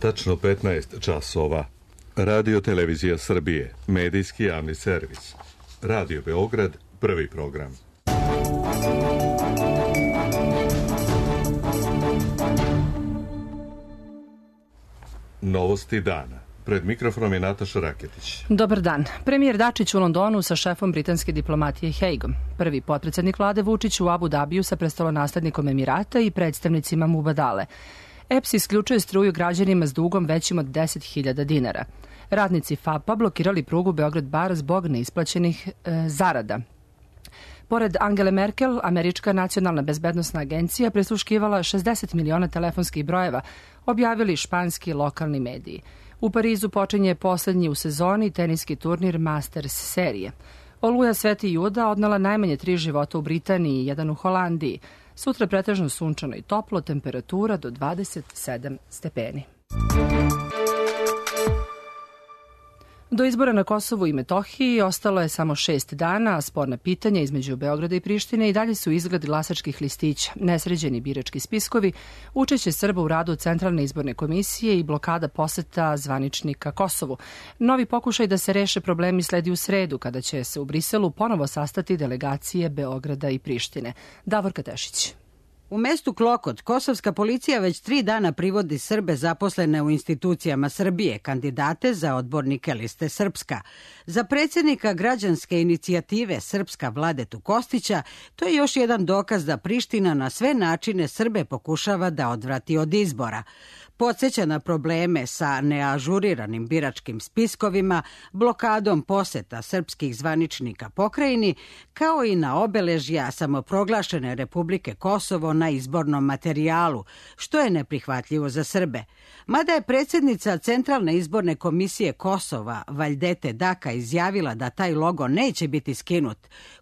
Tačno 15 časova. Radio Televizija Srbije, medijski javni servis. Radio Beograd, prvi program. Novosti dana. Pred mikrofonom je Nataša Raketić. Dobar dan. Premijer Dačić u Londonu sa šefom britanske diplomatije Haigom. Prvi potpredsednik vlade Vučić u Abu Dabiju sa prestolonaslednikom Emirata i predstavnicima Mubadale. EPS isključuje struju građanima s dugom većim od 10.000 dinara. Radnici FAP-a blokirali prugu Beograd-Bar zbog neisplaćenih zarada. Pored Angele Merkel, Američka nacionalna bezbednosna agencija prisluškivala 60 miliona telefonskih brojeva, objavili španski lokalni mediji. U Parizu počinje poslednji u sezoni teniski turnir Masters serije. Oluja Sveti Juda odnela najmanje 3 života u Britaniji i 1 u Holandiji. Sutra pretežno sunčano i toplo, temperatura do 27 stepeni. Do izbora na Kosovu i Metohiji ostalo je samo 6 dana, a sporna pitanja između Beograda i Prištine i dalje su izgled glasačkih listića, nesređeni birački spiskovi, učešće Srba u radu Centralne izborne komisije i blokada poseta zvaničnika Kosovu. Novi pokušaj da se reše problemi sledi u sredu, kada će se u Briselu ponovo sastati delegacije Beograda i Prištine. Davorka Tešić. U mestu Klokot, kosovska policija već 3 dana privodi Srbe zaposlene u institucijama Srbije, kandidate za odbornike liste Srpska. Za predsjednika građanske inicijative Srpska Vladetu Kostića, to je još jedan dokaz da Priština na sve načine Srbe pokušava da odvrati od izbora. Podsjeća na probleme sa neažuriranim biračkim spiskovima, blokadom poseta srpskih zvaničnika pokrajini, kao i na obeležja samoproglašene Republike Kosovo na izbornom materijalu, što je neprihvatljivo za Srbe. Mada je predsjednica Centralne izborne komisije Kosova, Vajdete Daka, izjavila da taj logo neće biti skinut,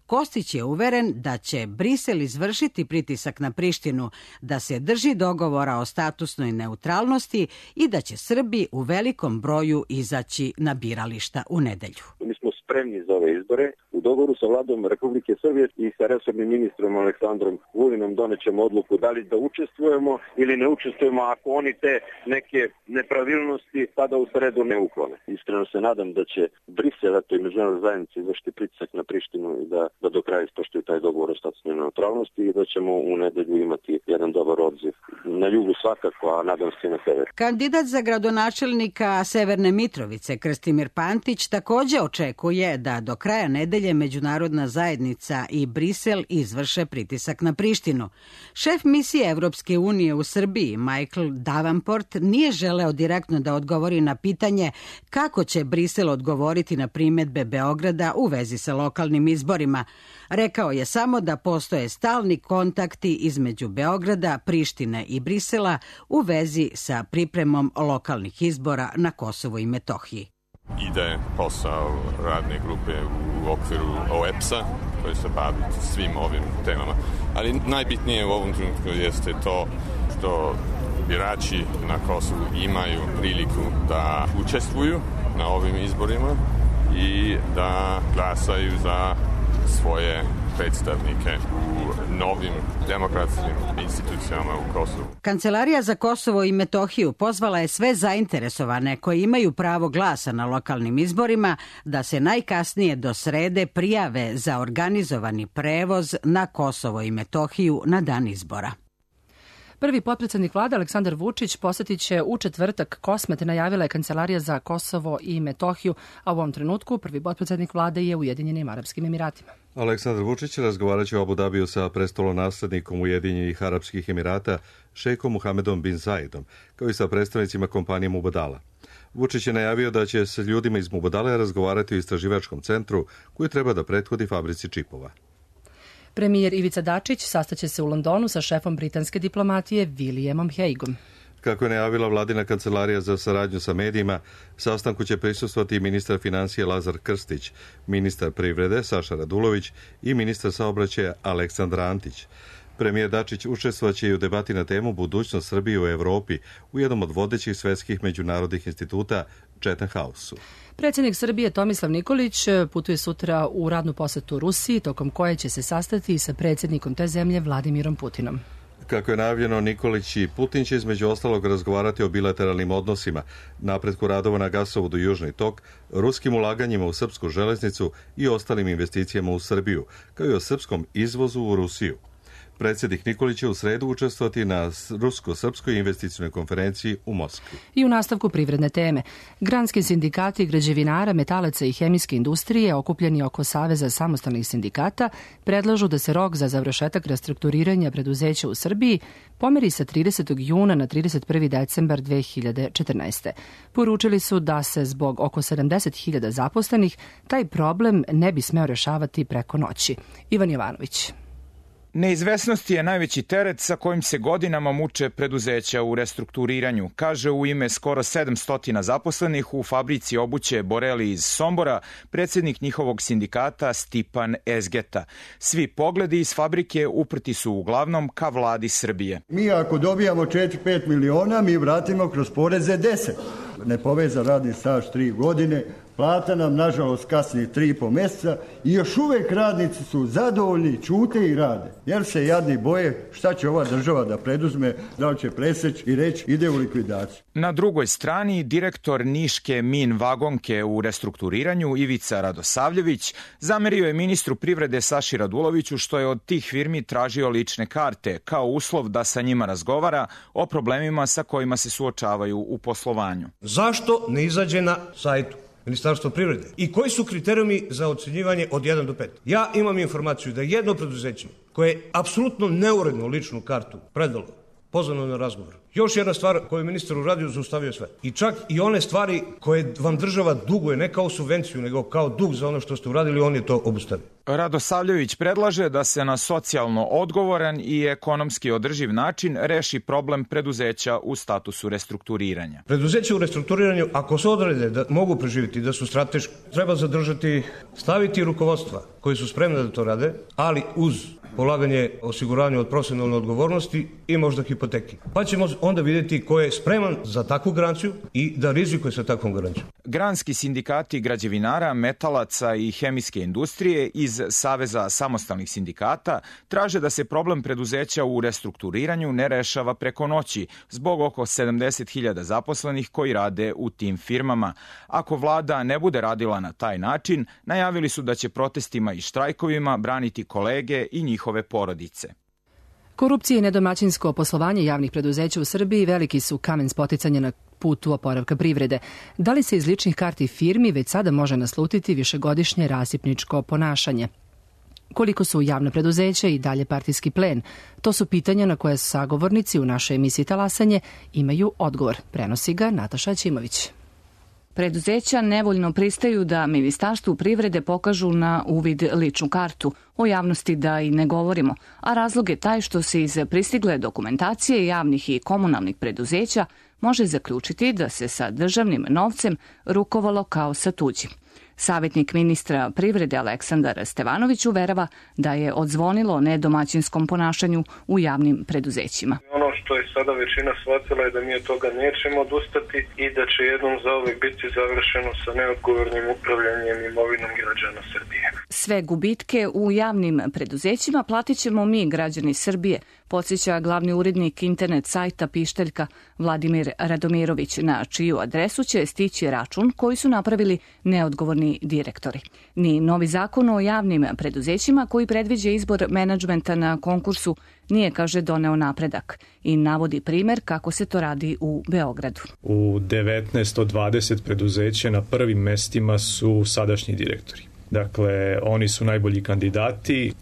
Kostić je uveren da će Brisel izvršiti pritisak na Prištinu, da se drži dogovora o statusnoj neutralnosti i da će Srbi u velikom broju izaći na birališta u nedelju. Mi smo spremni za ove izbore. U dogovoru sa vladom Republike Srbije i sa resornim ministrom Aleksandrom Vulinom donećemo odluku da li da učestvujemo ili ne učestvujemo ako oni te neke nepravilnosti tada u sredu ne uklone. Iskreno se nadam da će Brisel i međunarodna zajednica izvršiti pritisak na Prištinu i da do kraja ispoštuju taj dogovor o statusnoj neutralnosti i da ćemo u nedelju imati jedan dobar odziv. Na jugu svakako, a nadam se i na severu. Kandidat za gradonačelnika Severne Mitrovice, Krstimir Pantić, također očekuje da do kraja nedelje međunarodna zajednica i Brisel izvrše pritisak na Prištinu. Šef misije Evropske unije u Srbiji, Michael Davenport, nije želeo direktno da odgovori na pitanje kako će Brisel odgovoriti na primjedbe Beograda u vezi sa lokalnim izborima. Rekao je samo da postoje stalni kontakti između Beograda, Prištine i Brisela u vezi sa pripremom lokalnih izbora na Kosovu i Metohiji. Ide posao radne grupe u okviru OEPS-a koji se bavi svim ovim temama. Ali najbitnije u ovom trenutku jeste to što birači na Kosovu imaju priliku da učestvuju na ovim izborima i da glasaju za svoje predstavnike u novim demokratskim institucijama u Kosovu. Kancelarija za Kosovo i Metohiju pozvala je sve zainteresovane koji imaju pravo glasa na lokalnim izborima da se najkasnije do srede prijave za organizovani prevoz na Kosovo i Metohiju na dan izbora. Prvi potpredsednik vlade Aleksandar Vučić posetit će u četvrtak Kosmet, najavila je Kancelarija za Kosovo i Metohiju, a u ovom trenutku prvi potpredsednik vlade je u Ujedinjenim Arapskim Emiratima. Aleksandar Vučić razgovarat će u Abu Dabiju sa prestolonaslednikom Ujedinjenih Arapskih Emirata, šejkom Muhamedom bin Zaidom, kao i sa predstavnicima kompanije Mubadala. Vučić je najavio da će se ljudima iz Mubadale razgovarati u istraživačkom centru koji treba da prethodi fabrici čipova. Premijer Ivica Dačić sastaće se u Londonu sa šefom britanske diplomatije Williamom Haigom. Kako je najavila vladina kancelarija za saradnju sa medijima, sastanku će prisustvovati i ministar financija Lazar Krstić, ministar privrede Saša Radulović i ministar saobraćaja Aleksandar Antić. Premijer Dačić učestvovaće i u debati na temu budućnost Srbije u Evropi u jednom od vodećih svetskih međunarodnih instituta Chatham House-u. Predsjednik Srbije Tomislav Nikolić putuje sutra u radnu posetu Rusiji, tokom koje će se sastati sa predsjednikom te zemlje Vladimirom Putinom. Kako je najavljeno, Nikolić i Putin će između ostalog razgovarati o bilateralnim odnosima, napretku radova na gasovodu Južni tok, ruskim ulaganjima u srpsku železnicu i ostalim investicijama u Srbiju, kao i o srpskom izvozu u Rusiju. Predsjednik Nikolić će u sredu učestvovati na rusko-srpskoj investicionoj konferenciji u Moskvi. I u nastavku privredne teme. Granski sindikati građevinara, metalaca i hemijske industrije, okupljeni oko Saveza samostalnih sindikata, predlažu da se rok za završetak restrukturiranja preduzeća u Srbiji pomeri sa 30. juna na 31. decembar 2014. Poručili su da se zbog oko 70.000 zaposlenih taj problem ne bi smeo rešavati preko noći. Ivan Jovanović. Neizvesnost je najveći teret sa kojim se godinama muče preduzeća u restrukturiranju, kaže u ime skoro 700 zaposlenih u fabrici obuće Boreli iz Sombora predsjednik njihovog sindikata Stipan Ezgeta. Svi pogledi iz fabrike uprti su uglavnom ka vladi Srbije. Mi ako dobijamo 4-5 miliona, mi vratimo kroz poreze 10. Nepovezan radni staž 3 godine, plata nam nažalost kasni 3,5 mjeseca i još uvijek radnici su zadovoljni, ćute i rade. Jer se jadni boje šta će ova država da preduzme, da li će preseći i reći ide u likvidaciju. Na drugoj strani direktor Niške Min vagonke u restrukturiranju Ivica Radosavljević zamerio je ministru privrede Saši Raduloviću što je od tih firmi tražio lične karte kao uslov da sa njima razgovara o problemima sa kojima se suočavaju u poslovanju. Zašto ne izađe na sajtu Ministarstvo privrede? I koji su kriterijumi za ocenjivanje od 1 do 5? Ja imam informaciju da jedno preduzeće koje je apsolutno neuredno ličnu kartu predalo, pozvano na razgovor. Još jedna stvar koju je ministar uradio, zaustavio sve. I čak i one stvari koje vam država duguje, ne kao subvenciju, nego kao dug za ono što ste uradili, on je to obustavio. Radosavljević predlaže da se na socijalno odgovoran i ekonomski održiv način reši problem preduzeća u statusu restrukturiranja. Preduzeće u restrukturiranju, ako se odrede da mogu preživjeti, da su strateški, treba zadržati, staviti rukovodstva koji su spremni da to rade, ali uz polaganje osiguranja od profesionalne odgovornosti i možda hipoteki. Pa ćemo onda vidjeti ko je spreman za takvu garanciju i da rizikuje sa takvom garancijom. Granski sindikati građevinara, metalaca i hemijske industrije iz Saveza samostalnih sindikata traže da se problem preduzeća u restrukturiranju ne rešava preko noći zbog oko 70.000 zaposlenih koji rade u tim firmama. Ako vlada ne bude radila na taj način, najavili su da će protestima i štrajkovima braniti kolege i njihove porodice. Korupcija i nedomaćinsko poslovanje javnih preduzeća u Srbiji veliki su kamen spoticanja na putu oporavka privrede. Da li se iz ličnih karti firmi već sada može naslutiti višegodišnje rasipničko ponašanje? Koliko su javna preduzeća i dalje partijski plen? To su pitanja na koje sagovornici u našoj emisiji Talasanje imaju odgovor. Prenosi ga Nataša Ćimović. Preduzeća nevoljno pristaju da Ministarstvu privrede pokažu na uvid ličnu kartu, o javnosti da i ne govorimo, a razlog je taj što se iz pristigle dokumentacije javnih i komunalnih preduzeća može zaključiti da se sa državnim novcem rukovalo kao sa tuđim. Savjetnik ministra privrede Aleksandar Stevanović uverava da je odzvonilo o nedomaćinskom ponašanju u javnim preduzećima. Ono što je sada većina shvatila je da mi od toga nećemo odustati i da će jednom zauvek biti završeno sa neodgovornim upravljanjem imovinom građana Srbije. Sve gubitke u javnim preduzećima platit ćemo mi, građani Srbije, podsjeća glavni urednik internet sajta Pišteljka Vladimir Radomirović, na čiju adresu će stići račun koji su napravili neodgovorni direktori. Ni novi zakon o javnim preduzećima koji predviđa izbor menadžmenta na konkursu nije, kaže, doneo napredak i navodi primer kako se to radi u Beogradu. U 19 od 20 preduzeća na prvim mestima su sadašnji direktori. Dakle, oni su najbolji kandidati.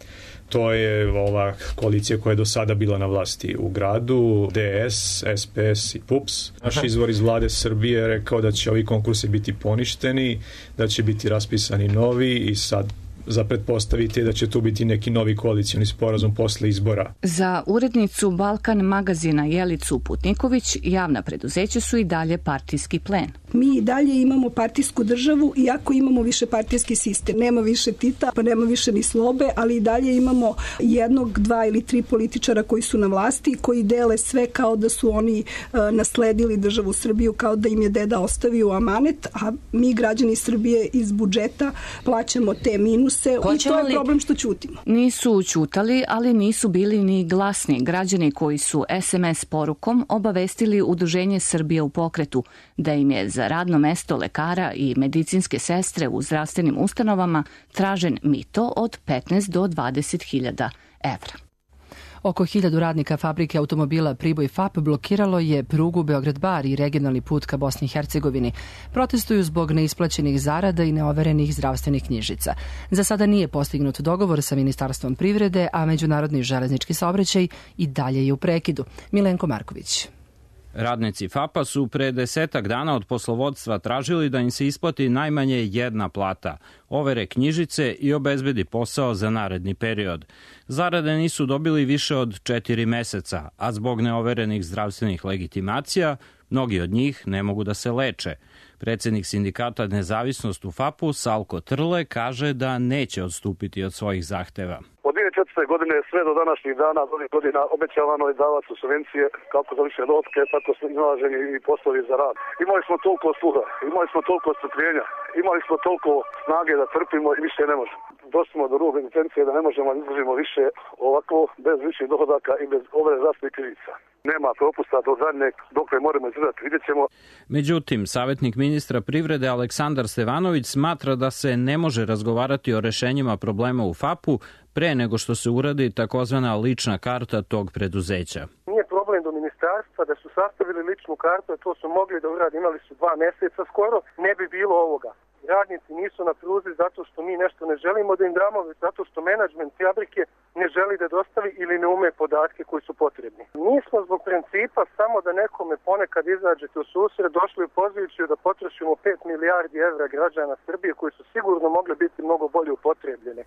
To je ova koalicija koja je do sada bila na vlasti u gradu, DS, SPS i PUPS. Naš izvor iz vlade Srbije je rekao da će ovi konkursi biti poništeni, da će biti raspisani novi i sad za pretpostaviti da će tu biti neki novi koalicioni sporazum posle izbora. Za urednicu Balkan magazina Jelicu Putniković javna preduzeća su i dalje partijski plen. Mi i dalje imamo partijsku državu, iako imamo više partijski sistem. Nema više Tita, pa nema više ni Slobe, ali i dalje imamo 1, 2 ili 3 političara koji su na vlasti, koji dele sve kao da su oni nasledili državu Srbiju, kao da im je deda ostavio u amanet, a mi, građani Srbije, iz budžeta plaćamo te minuse se i to je problem što ćutimo. Nisu ćutali, ali nisu bili ni glasni. Građani koji su SMS porukom obavestili Udruženje Srbije u pokretu da im je za radno mesto lekara i medicinske sestre u zdravstvenim ustanovama tražen mito od 15 do 20.000 evra. Oko 1000 radnika fabrike automobila Priboj FAP blokiralo je prugu Beograd-Bar i regionalni put ka Bosni i Hercegovini. Protestuju zbog neisplaćenih zarada i neoverenih zdravstvenih knjižica. Za sada nije postignut dogovor sa Ministarstvom privrede, a međunarodni železnički saobraćaj i dalje je u prekidu. Milenko Marković. Radnici FAP-a su pre 10 dana od poslovodstva tražili da im se isplati najmanje jedna plata, overe knjižice i obezbedi posao za naredni period. Zarade nisu dobili više od 4 meseca, a zbog neoverenih zdravstvenih legitimacija, mnogi od njih ne mogu da se leče. Predsednik sindikata Nezavisnost u FAP-u, Salko Trle, kaže da neće odstupiti od svojih zahteva. Od 2004. godine sve do današnjih dana, od ovih godina, obećavano je davati subvencije kako za više dotke, tako su iznalaženi i poslovi za rad. Imali smo toliko sluha, imali smo toliko strpljenja, imali smo toliko snage da trpimo i više ne možemo. Došli smo do rub egzistencije da ne možemo da izdržimo više ovako, bez viših dohodaka i bez ove zdravstvenih krivica. Nema propusta do zadnjeg dok ne moramo izdržati, vidjet ćemo. Međutim, savjetnik ministra privrede Aleksandar Stevanović smatra da se ne može razgovarati o rešenjima problema u FAP-u pre nego što se uradi takozvana lična karta tog preduzeća. Nije problem do ministarstva da su sastavili ličnu kartu, a to su mogli da uradi, imali su 2 meseca skoro, ne bi bilo ovoga. Radnici nisu na pruzi zato što mi nešto ne želimo da im damo, već zato što menadžment fabrike ne želi da dostavi ili ne ume podatke koji su potrebni. Mi smo zbog principa samo da nekome ponekad izađete u susret došli u poziciju da potrošimo 5 milijardi evra građana Srbije koji su sigurno mogli biti mnogo bolje upotrebljene.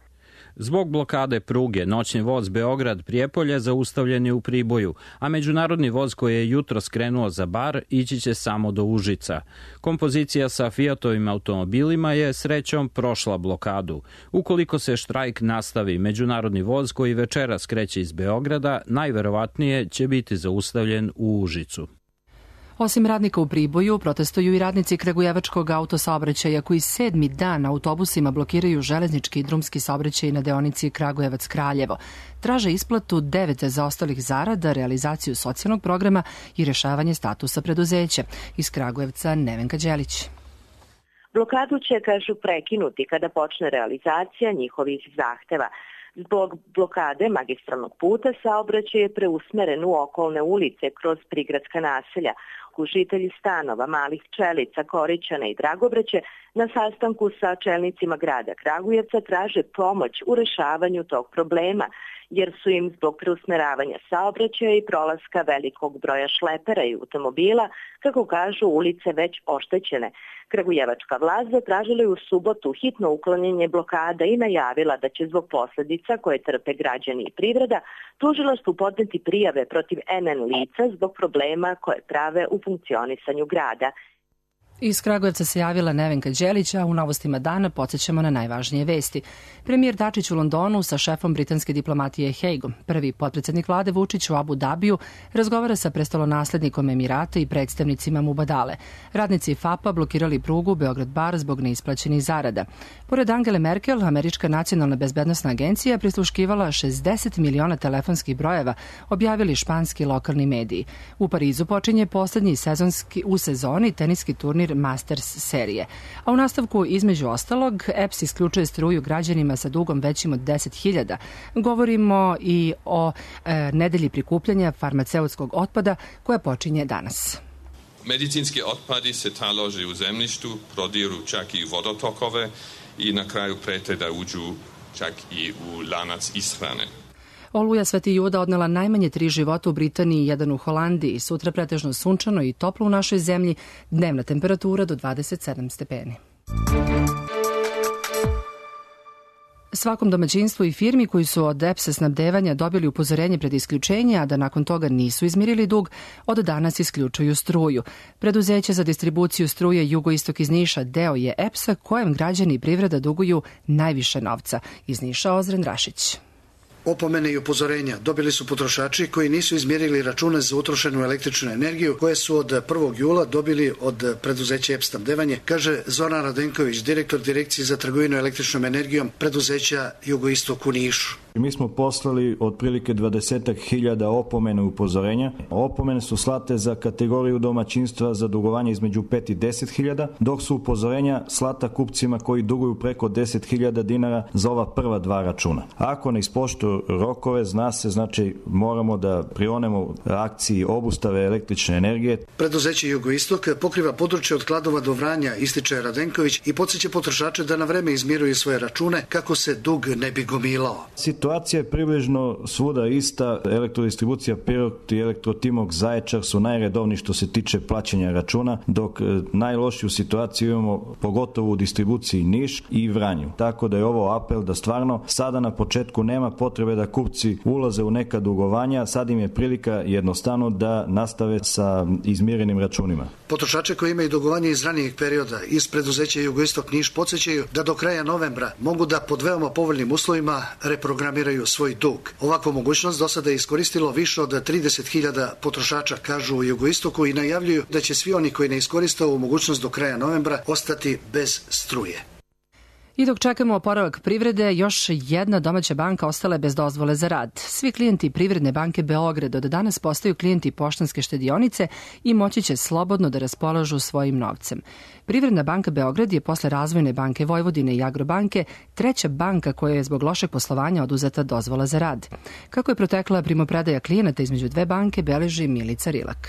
Zbog blokade pruge, noćni voz Beograd-Prijepolje zaustavljen je u Priboju, a međunarodni voz koji je jutro skrenuo za Bar ići će samo do Užica. Kompozicija sa Fiatovim automobilima je srećom prošla blokadu. Ukoliko se štrajk nastavi, međunarodni voz koji večeras kreće iz Beograda najverovatnije će biti zaustavljen u Užicu. Osim radnika u Priboju, protestuju i radnici Kragujevačkog autosaobraćaja koji 7. dan autobusima blokiraju železnički i drumski saobraćaj na deonici Kragujevac-Kraljevo. Traže isplatu 9 zaostalih zarada, realizaciju socijalnog programa i rešavanje statusa preduzeća. Iz Kragujevca Nevenka Đelić. Blokadu će, kažu, prekinuti kada počne realizacija njihovih zahteva. Zbog blokade magistralnog puta saobraćaj je preusmeren u okolne ulice kroz prigradska naselja. Žitelji stanova Malih Pčelica, Korićana i Dragobraće na sastanku sa čelnicima grada Kragujevca traže pomoć u rešavanju tog problema, jer su im zbog preusmeravanja saobraćaja i prolaska velikog broja šlepera i automobila, kako kažu, ulice već oštećene. Kragujevačka vlast zatražila je u subotu hitno uklanjanje blokada i najavila da će zbog posledica koje trpe građani i privreda tužilaštvu podneti prijave protiv NN lica zbog problema koje prave u funkcionisanju grada. Iz Kragujevca se javila Nevenka Đelić, a u novostima dana podsjećamo na najvažnije vesti. Premijer Dačić u Londonu sa šefom britanske diplomatije Haigom. Prvi potpredsednik vlade Vučić u Abu Dabiju razgovara sa prestolonaslednikom Emirata i predstavnicima Mubadale. Radnici FAP-a blokirali prugu Beograd-Bar zbog neisplaćenih zarada. Pored Angele Merkel, Američka nacionalna bezbednosna agencija prisluškivala 60 miliona telefonskih brojeva, objavili španski lokalni mediji. U Parizu počinje poslednji u sezoni teniski turnir Masters serije. A u nastavku, između ostalog, EPS isključuje struju građanima sa dugom većim od 10.000. Govorimo i o nedelji prikupljanja farmaceutskog otpada koja počinje danas. Medicinski otpadi se talože u zemljištu, prodiru čak i vodotokove i na kraju prete da uđu čak i u lanac ishrane. Oluja Sveti Juda odnela najmanje 3 života u Britaniji i 1 u Holandiji. Sutra pretežno sunčano i toplo u našoj zemlji, dnevna temperatura do 27 stepeni. Svakom domaćinstvu i firmi koji su od EPS-a snabdevanja dobili upozorenje pred isključenje, a da nakon toga nisu izmirili dug, od danas isključuju struju. Preduzeće za distribuciju struje Jugoistok iz Niša deo je EPS-a kojem građani i privreda duguju najviše novca. Iz Niša Ozren Rašić. Opomene i upozorenja dobili su potrošači koji nisu izmjerili račune za utrošenu električnu energiju koje su od 1. jula dobili od preduzeća EPS snabdevanje, kaže Zoran Radenković, direktor Direkcije za trgovinu električnom energijom preduzeća Jugoistok u Nišu. Mi smo poslali otprilike 20.000 opomena i upozorenja. Opomene su slate za kategoriju domaćinstva za dugovanje između 5 i 10.000, dok su upozorenja slata kupcima koji duguju preko 10.000 dinara za ova prva dva računa. Ako ne ispoštuju rokove, zna se, znači moramo da prionemo akciji obustave električne energije. Preduzeće Jugoistok pokriva područje od Kladova do Vranja, ističe Radenković i podsjeća potrošače da na vreme izmiruju svoje račune kako se dug ne bi gomilao. Situacija je približno svuda ista. Elektrodistribucija Pirot i Elektrotimok Zaječar su najredovniji što se tiče plaćanja računa, dok najlošiju situaciju imamo pogotovo u distribuciji Niš i Vranju. Tako da je ovo apel da stvarno sada na početku nema potrebe da kupci ulaze u neka dugovanja, sad im je prilika jednostavno da nastave sa izmirenim računima. Potrošače koji imaju dugovanje iz ranijeg perioda iz preduzeća Jugoistok Niš podsjećaju da do kraja novembra mogu da pod veoma povoljnim uslovima reprogramiraju svoj dug. Ovakvu mogućnost do sada je iskoristilo više od 30.000 potrošača, kažu u Jugoistoku, i najavljuju da će svi oni koji ne iskoriste ovu mogućnost do kraja novembra ostati bez struje. I dok čekamo oporavak privrede, još jedna domaća banka ostala je bez dozvole za rad. Svi klijenti Privredne banke Beograd od danas postaju klijenti Poštanske štedionice i moći će slobodno da raspolažu svojim novcem. Privredna banka Beograd je posle Razvojne banke Vojvodine i Agrobanke treća banka koja je zbog lošeg poslovanja oduzeta dozvola za rad. Kako je protekla primopredaja klijenata između dve banke, beleži Milica Rilak.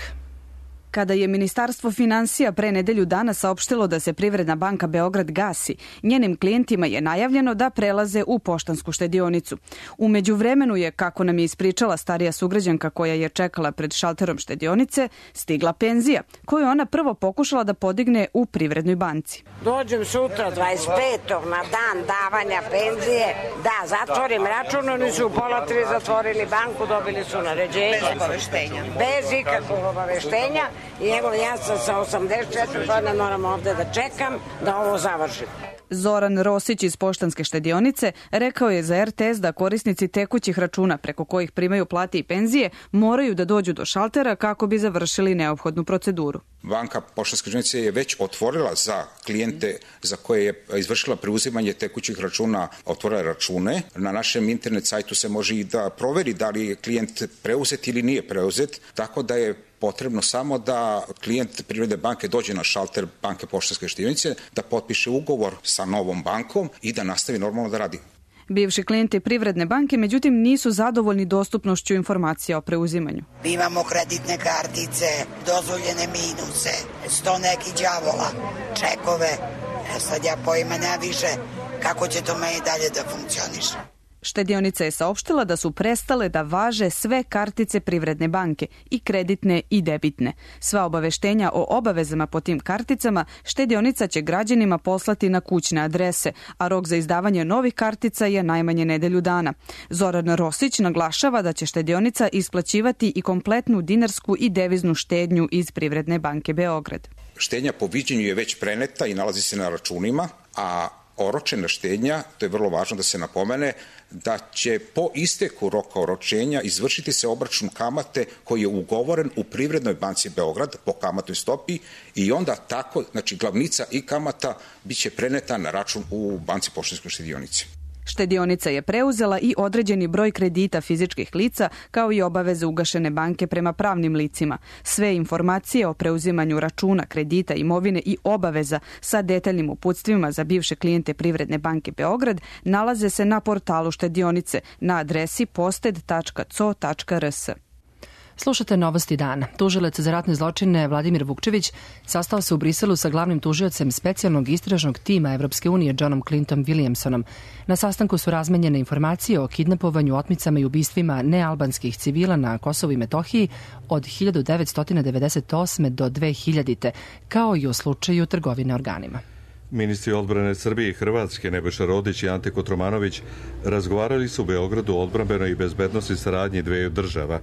Kada je Ministarstvo finansija pre nedelju dana saopštilo da se Privredna banka Beograd gasi, njenim klijentima je najavljeno da prelaze u Poštansku štedionicu. U međuvremenu je, kako nam je ispričala starija sugrađanka koja je čekala pred šalterom štedionice, stigla penzija, koju ona prvo pokušala da podigne u Privrednoj banci. Dođem sutra 25. na dan davanja penzije, da zatvorim račun, oni su u 2:30 zatvorili banku, dobili su naređenje. Bez obaveštenja. Bez ikakvog obaveštenja. I evo, ja sam sa 84 godina, moram ovde da čekam da ovo završim. Zoran Rosić iz Poštanske štedionice rekao je za RTS da korisnici tekućih računa preko kojih primaju plate i penzije moraju da dođu do šaltera kako bi završili neophodnu proceduru. Banka Poštanske štedionice je već otvorila za klijente za koje je izvršila preuzimanje tekućih računa, otvorila račune. Na našem internet sajtu se može i da proveri da li je klijent preuzet ili nije preuzet, tako da je potrebno samo da klijent Privredne banke dođe na šalter Banke Poštanske štedionice, da potpiše ugovor sa novom bankom i da nastavi normalno da radi. Bivši klijenti Privredne banke, međutim, nisu zadovoljni dostupnošću informacija o preuzimanju. Imamo kreditne kartice, dozvoljene minuse, 100 nekih đavola, čekove. Sad ja pojma nema više kako će to meni dalje da funkcioniše. Štedionica je saopštila da su prestale da važe sve kartice Privredne banke, i kreditne i debitne. Sva obaveštenja o obavezama po tim karticama štedionica će građanima poslati na kućne adrese, a rok za izdavanje novih kartica je najmanje nedelju dana. Zoran Rosić naglašava da će štedionica isplaćivati i kompletnu dinarsku i deviznu štednju iz Privredne banke Beograd. Štednja po viđenju je već preneta i nalazi se na računima, a oročena štednja, to je vrlo važno da se napomene, da će po isteku roka oročenja izvršiti se obračun kamate koji je ugovoren u Privrednoj banci Beograd po kamatnoj stopi i onda tako, znači glavnica i kamata biće preneta na račun u Banci Poštanskoj štedionici. Štedionica je preuzela i određeni broj kredita fizičkih lica, kao i obaveze ugašene banke prema pravnim licima. Sve informacije o preuzimanju računa, kredita, imovine i obaveza sa detaljnim uputstvima za bivše klijente Privredne banke Beograd nalaze se na portalu štedionice na adresi posted.co.rs. Slušate Novosti dana. Tužilac za ratne zločine Vladimir Vukčević sastao se u Briselu sa glavnim tužiocem specijalnog istražnog tima Evropske unije Johnom Clintom Williamsonom. Na sastanku su razmenjene informacije o kidnapovanju, otmicama i ubistvima nealbanskih civila na Kosovu i Metohiji od 1998. do 2000. kao i o slučaju trgovine organima. Ministri odbrane Srbije i Hrvatske Nebojša Rodić i Ante Kotromanović razgovarali su u Beogradu o odbrambenoj i bezbednosti saradnji dveju država.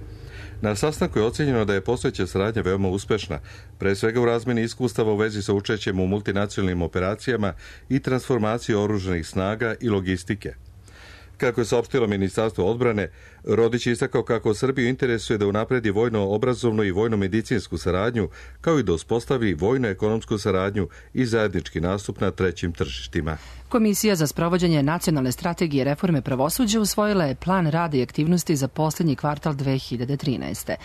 Na sastanku je ocenjeno da je postojeća saradnja veoma uspešna, pre svega u razmeni iskustava u vezi sa učešćem u multinacionalnim operacijama i transformaciji oružanih snaga i logistike. Kako je saopštilo Ministarstvo odbrane, Rodić je istakao kako Srbiju interesuje da unapredi vojno-obrazovnu i vojno-medicinsku saradnju, kao i da uspostavi vojno-ekonomsku saradnju i zajednički nastup na trećim tržištima. Komisija za sprovođenje nacionalne strategije reforme pravosuđa usvojila je plan rada i aktivnosti za poslednji kvartal 2013.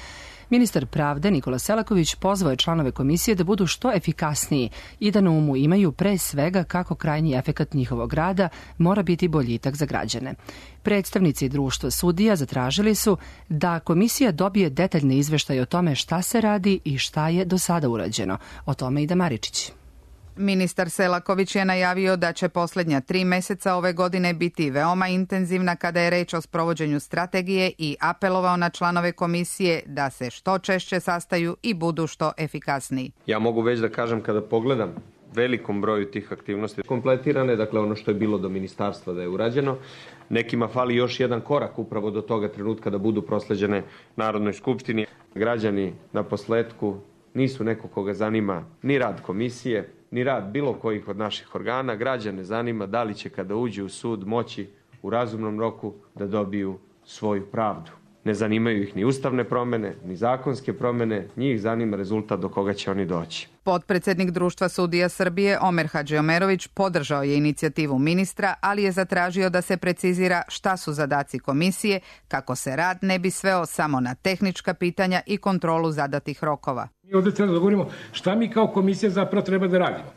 Ministar pravde Nikola Selaković pozvao je članove komisije da budu što efikasniji i da na umu imaju pre svega kako krajnji efekat njihovog rada mora biti boljitak za građane. Predstavnici društva sudija zatražili su da komisija dobije detaljne izveštaje o tome šta se radi i šta je do sada urađeno. O tome Ida Maričić. Ministar Selaković je najavio da će posljednja 3 meseca ove godine biti veoma intenzivna kada je reč o sprovođenju strategije i apelovao na članove komisije da se što češće sastaju i budu što efikasniji. Ja mogu već da kažem kada pogledam velikom broju tih aktivnosti kompletirane, dakle ono što je bilo do ministarstva da je urađeno. Nekima fali još jedan korak upravo do toga trenutka da budu prosleđene Narodnoj skupštini. Građani na posletku nisu neko koga zanima ni rad komisije, ni rad bilo kojih od naših organa. Građane zanima da li će kada uđe u sud moći u razumnom roku da dobiju svoju pravdu. Ne zanimaju ih ni ustavne promene, ni zakonske promene, njih zanima rezultat do koga će oni doći. Potpredsednik Društva sudija Srbije Omer Hadžiomerović podržao je inicijativu ministra, ali je zatražio da se precizira šta su zadaci komisije, kako se rad ne bi sveo samo na tehnička pitanja i kontrolu zadatih rokova. Mi ovdje treba da govorimo šta mi kao komisija zapravo treba da radimo.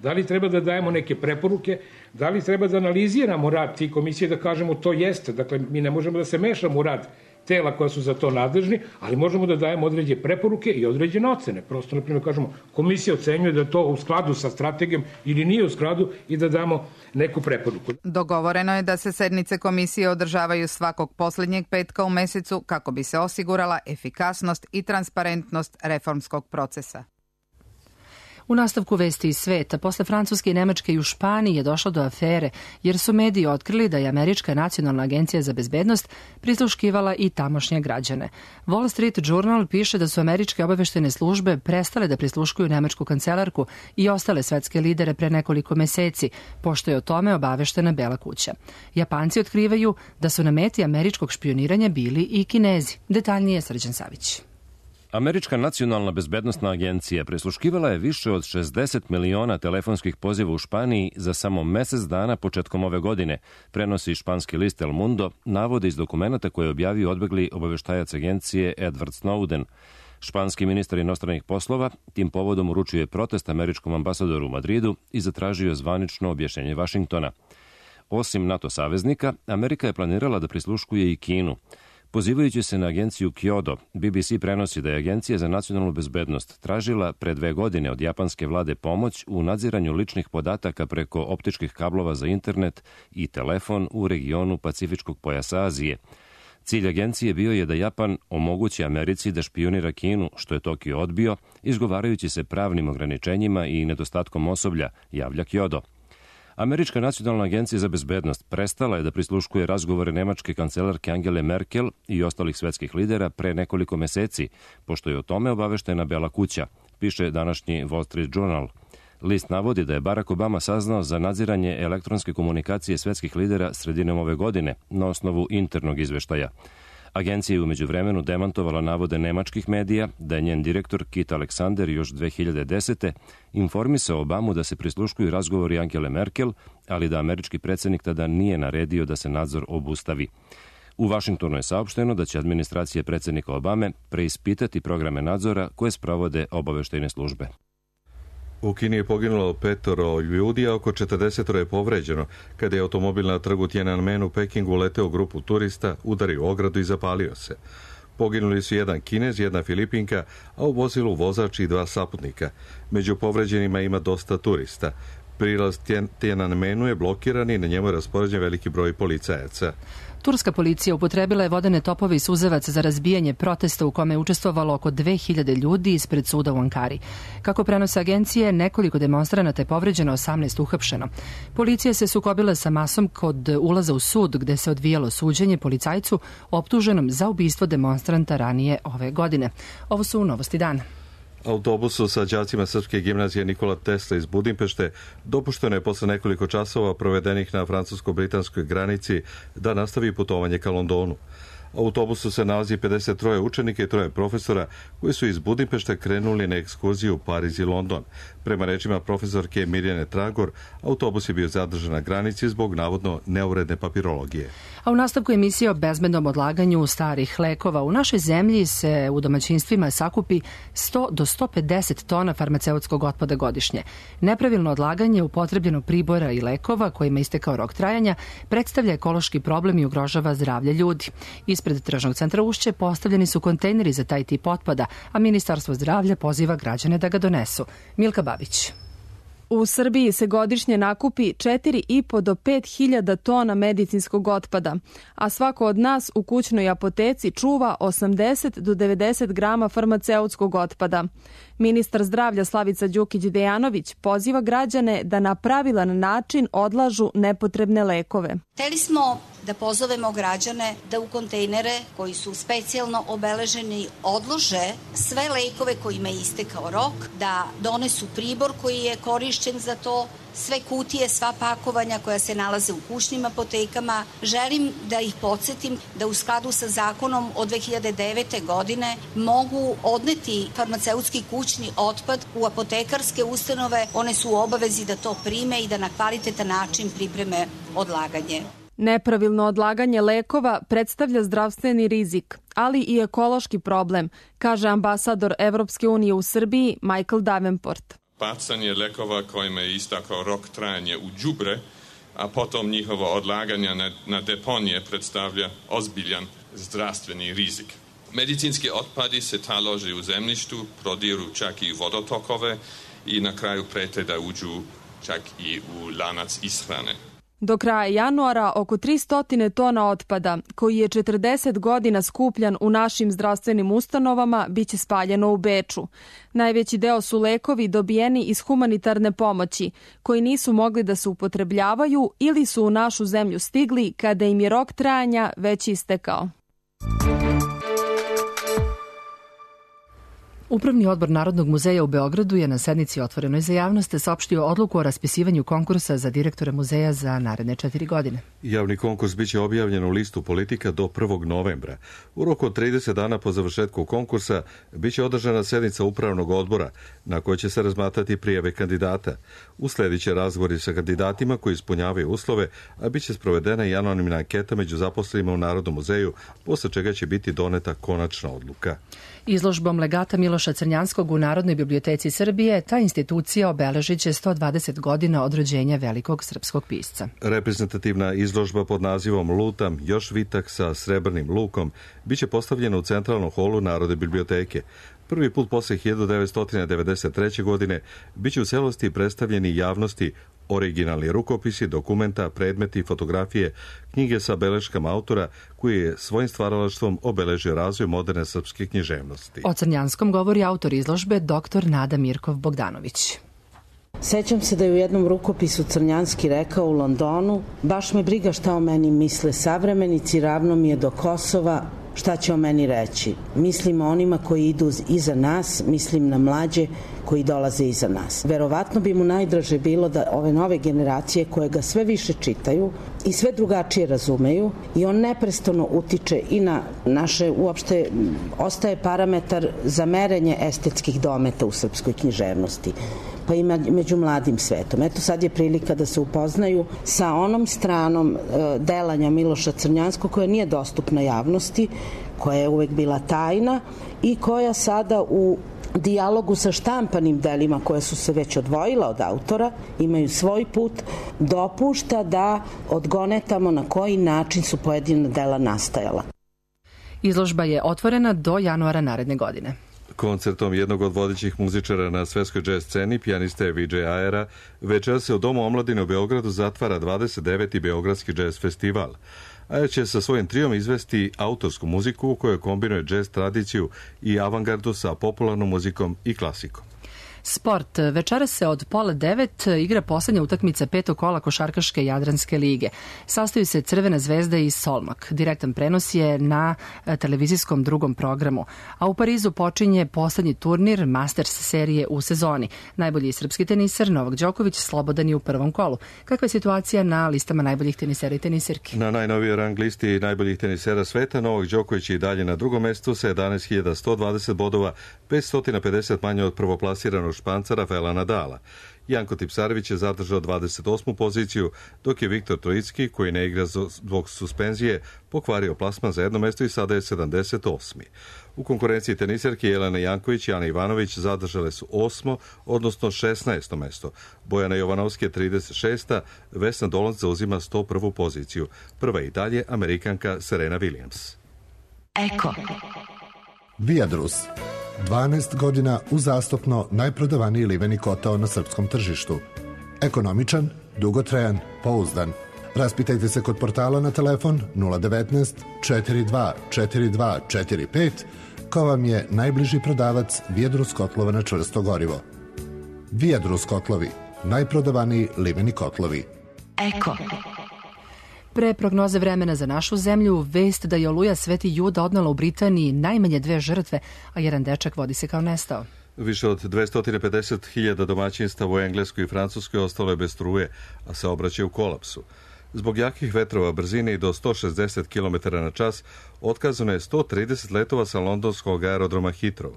Da li treba da dajemo neke preporuke, da li treba da analiziramo rad tih komisije, da kažemo to jeste. Dakle, mi ne možemo da se mešamo u rad tela koja su za to nadležni, ali možemo da dajemo određene preporuke i određene ocene. Prosto, na primjer, kažemo, komisija ocenjuje da je to u skladu sa strategijom ili nije u skladu i da damo neku preporuku. Dogovoreno je da se sednice komisije održavaju svakog posljednjeg petka u mesecu kako bi se osigurala efikasnost i transparentnost reformskog procesa. U nastavku vesti iz sveta, posle Francuske i Nemačke i u Španiji je došlo do afere, jer su mediji otkrili da je Američka nacionalna agencija za bezbednost prisluškivala i tamošnje građane. Wall Street Journal piše da su američke obaveštene službe prestale da prisluškuju nemačku kancelarku i ostale svetske lidere pre nekoliko meseci, pošto je o tome obaveštena Bela kuća. Japanci otkrivaju da su na meti američkog špioniranja bili i Kinezi. Detaljnije Srđan Savić. Američka nacionalna bezbednostna agencija prisluškivala je više od 60 miliona telefonskih poziva u Španiji za samo mesec dana početkom ove godine, prenosi španski list El Mundo, navode iz dokumenta koje je objavio odbegli obaveštajac agencije Edward Snowden. Španski ministar inostranih poslova tim povodom uručio protest američkom ambasadoru u Madridu i zatražio zvanično objašnjenje Vašingtona. Osim NATO saveznika, Amerika je planirala da prisluškuje i Kinu. Pozivajući se na agenciju Kyodo, BBC prenosi da je Agencija za nacionalnu bezbednost tražila pre 2 godine od japanske vlade pomoć u nadziranju ličnih podataka preko optičkih kablova za internet i telefon u regionu Pacifičkog pojasa Azije. Cilj agencije bio je da Japan omogući Americi da špionira Kinu, što je Tokio odbio, izgovarajući se pravnim ograničenjima i nedostatkom osoblja, javlja Kyodo. Američka nacionalna agencija za bezbednost prestala je da prisluškuje razgovore nemačke kancelarke Angele Merkel i ostalih svetskih lidera pre nekoliko meseci, pošto je o tome obaveštena Bela kuća, piše današnji Wall Street Journal. List navodi da je Barack Obama saznao za nadziranje elektronske komunikacije svetskih lidera sredinom ove godine na osnovu internog izveštaja. Agencija je umeđu vremenu demantovala navode nemačkih medija da je njen direktor Kit Alexander još 2010. informisao Obamu da se prisluškuju razgovori Angele Merkel, ali da američki predsjednik tada nije naredio da se nadzor obustavi. U Vašingtonu je saopšteno da će administracija predsjednika Obame preispitati programe nadzora koje sprovode obaveštajne službe. U Kini je poginulo 5 ljudi, a oko 40 je povređeno kada je automobil na trgu Tiananmen u Pekingu uleteo grupu turista, udario ogradu i zapalio se. Poginuli su jedan Kinez, jedna Filipinka, a u vozilu vozač i 2 saputnika. Među povređenima ima dosta turista. Prilaz Tiananmenu je blokiran i na njemu je raspoređen veliki broj policajaca. Turska policija upotrebila je vodene topove i suzavac za razbijanje protesta u kome je učestvovalo oko 2000 ljudi ispred suda u Ankari. Kako prenose agencije, nekoliko demonstranata je povređeno, 18 uhapšeno. Policija se sukobila sa masom kod ulaza u sud gde se odvijalo suđenje policajcu optuženom za ubistvo demonstranta ranije ove godine. Ovo su novosti dana. Autobusu sa đacima Srpske gimnazije Nikola Tesla iz Budimpešte dopušteno je posle nekoliko časova provedenih na francusko-britanskoj granici da nastavi putovanje ka Londonu. U autobusu se nalazi 53 učenika i 3 profesora koji su iz Budimpešte krenuli na ekskurziju u Pariz i London. Prema rečima profesorke Mirjane Tragor, autobus je bio zadržan na granici zbog navodno neuredne papirologije. A u nastavku emisije o bezbednom odlaganju starih lekova u našoj zemlji se u domaćinstvima sakupi 100 do 150 tona farmaceutskog otpada godišnje. Nepravilno odlaganje upotrebljenog pribora i lekova kojima istekao rok trajanja predstavlja ekološki problem i ugrožava zdravlje ljudi. Ispred Tržnog centra Ušće postavljeni su kontejneri za taj tip otpada, a Ministarstvo zdravlja poziva građane da ga donesu. Milka Babić. U Srbiji se godišnje nakupi 4,5 do 5.000 tona medicinskog otpada, a svako od nas u kućnoj apoteci čuva 80 do 90 grama farmaceutskog otpada. Ministar zdravlja Slavica Đukić-Dejanović poziva građane da na pravilan način odlažu nepotrebne lekove. Hteli smo da pozovemo građane da u kontejnere koji su specijalno obeleženi odlože sve lekove kojima je istekao rok, da donesu pribor koji je korišćen za to, sve kutije, sva pakovanja koja se nalaze u kućnim apotekama. Želim da ih podsjetim da u skladu sa zakonom od 2009. godine mogu odneti farmaceutski kućni otpad u apotekarske ustanove. One su u obavezi da to prime i da na kvalitetan način pripreme odlaganje. Nepravilno odlaganje lekova predstavlja zdravstveni rizik, ali i ekološki problem, kaže ambasador Evropske unije u Srbiji Michael Davenport. Bacanje lekova kojima je istakao rok trajanja u đubre, a potom njihovo odlaganje na deponije predstavlja ozbiljan zdravstveni rizik. Medicinski otpadi se talože u zemljištu, prodiru čak i vodotokove i na kraju prete da uđu čak i u lanac ishrane. Do kraja januara oko 300 tona otpada, koji je 40 godina skupljan u našim zdravstvenim ustanovama, biće spaljeno u Beču. Najveći deo su lekovi dobijeni iz humanitarne pomoći, koji nisu mogli da se upotrebljavaju ili su u našu zemlju stigli kada im je rok trajanja već istekao. Upravni odbor Narodnog muzeja u Beogradu je na sednici otvorenoj za javnost saopštio odluku o raspisivanju konkursa za direktora muzeja za naredne 4 godine. Javni konkurs biće objavljen u listu politika do 1. novembra. U roku od 30 dana po završetku konkursa biće održana sednica upravnog odbora na kojoj će se razmatrati prijave kandidata. Usledit će razgovori sa kandidatima koji ispunjavaju uslove, a biće sprovedena i anonimna anketa među zaposlenima u Narodnom muzeju, posle čega će biti doneta konačna odluka. Izložbom legata Miloša Crnjanskog u Narodnoj biblioteci Srbije ta institucija obeležit će 120 godina od rođenja velikog srpskog pisca. Reprezentativna izložba pod nazivom Lutam, još vitak sa srebrnim lukom biće postavljena u centralnom holu Narodne biblioteke. Prvi put posle 1993. godine biće u celosti predstavljeni javnosti originalni rukopisi, dokumenta, predmeti, fotografije, knjige sa beleškama autora koji je svojim stvaralaštvom obeležio razvoj moderne srpske književnosti. O Crnjanskom govori autor izložbe dr. Nada Mirkov Bogdanović. Sećam se da je u jednom rukopisu Crnjanski rekao u Londonu: baš me briga šta o meni misle savremenici, ravno mi je do Kosova, šta će o meni reći. Mislim o onima koji idu iza nas, mislim na mlađe koji dolaze iza nas. Verovatno bi mu najdraže bilo da ove nove generacije koje ga sve više čitaju i sve drugačije razumeju i on neprestano utiče i na naše, uopšte ostaje parametar za merenje estetskih dometa u srpskoj književnosti, pa i među mladim svetom. Eto sad je prilika da se upoznaju sa onom stranom delanja Miloša Crnjanskog koja nije dostupna javnosti, koja je uvek bila tajna i koja sada u dijalogu sa štampanim delima koja su se već odvojila od autora, imaju svoj put, dopušta da odgonetamo na koji način su pojedina dela nastajala. Izložba je otvorena do januara naredne godine. Koncertom jednog od vodećih muzičara na svetskoj džez sceni, pijaniste Vijaya Ayera, večera se u Domu omladine u Beogradu zatvara 29. Beogradski džez festival. Ayer će sa svojim trijom izvesti autorsku muziku u kojoj kombinuje džez tradiciju i avangardu sa popularnom muzikom i klasikom. Sport. Večeras se od 8:30 igra poslednja utakmica 5. kola košarkaške Jadranske lige. Sastoji se Crvena zvezda i Solmak. Direktan prenos je na televizijskom drugom programu. A u Parizu počinje poslednji turnir Masters serije u sezoni. Najbolji srpski teniser Novak Đoković slobodan je u prvom kolu. Kakva je situacija na listama najboljih tenisera i tenisirki? Na najnovijoj rang listi najboljih tenisera sveta Novak Đoković je i dalje na drugom mestu sa 11.120 bodova, 550 manje od prvoplasiranog Španca Rafaela Nadala. Janko Tipsarević je zadržao 28. poziciju, dok je Viktor Trojicki, koji ne igra zbog suspenzije, pokvario plasman za jedno mesto i sada je 78. U konkurenciji tenisarki Jelena Janković i Ana Ivanović zadržale su 8. odnosno 16. mesto. Bojana Jovanovski je 36. Vesna Dolanc zauzima 101. poziciju. Prva i dalje Amerikanka Serena Williams. Eko. Viadrus. 12 godina uzastopno najprodavaniji liveni kotao na srpskom tržištu. Ekonomičan, dugotrajan, pouzdan. Raspitajte se kod portala na telefon 019 42 42 45 ko vam je najbliži prodavac Viadrus kotlova na čvrsto gorivo. Viadrus kotlovi, najprodavaniji liveni kotlovi. Eko. Pre prognoze vremena za našu zemlju, vest da je oluja Sveti Juda odnela u Britaniji najmanje 2 žrtve, a jedan dečak vodi se kao nestao. Više od 250.000 domaćinstava u Engleskoj i Francuskoj ostalo je bez struje, a saobraćaj u kolapsu. Zbog jakih vetrova brzine i do 160 km na čas otkazano je 130 letova sa londonskog aerodroma Heathrow.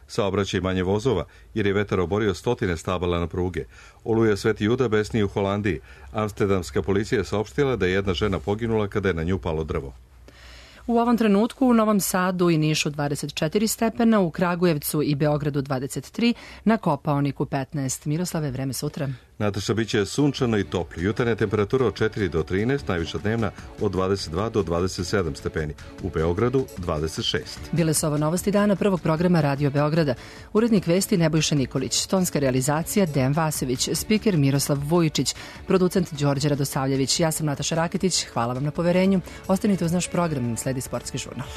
Saobraćaj manje vozova, jer je vetar oborio 100 stabala na pruge. Oluja Sveti Juda besni u Holandiji. Amsterdamska policija je saopštila da je jedna žena poginula kada je na nju palo drvo. U ovom trenutku u Novom Sadu i Nišu 24 stepena, u Kragujevcu i Beogradu 23, na Kopaoniku 15. Miroslave, vreme sutra. Nataša, biće sunčano i toplo. Jutarnja temperatura od 4 do 13, najviša dnevna od 22 do 27 stepeni. U Beogradu 26. Bile su ovo novosti dana prvog programa Radio Beograda. Urednik vesti Nebojša Nikolić, tonska realizacija Dejan Vasović, spiker Miroslav Vujičić, producent Đorđe Radosavljević. Ja sam Nataša Raketić, hvala vam na poverenju. Ostanite uz naš program, sledi Sportski žurnal.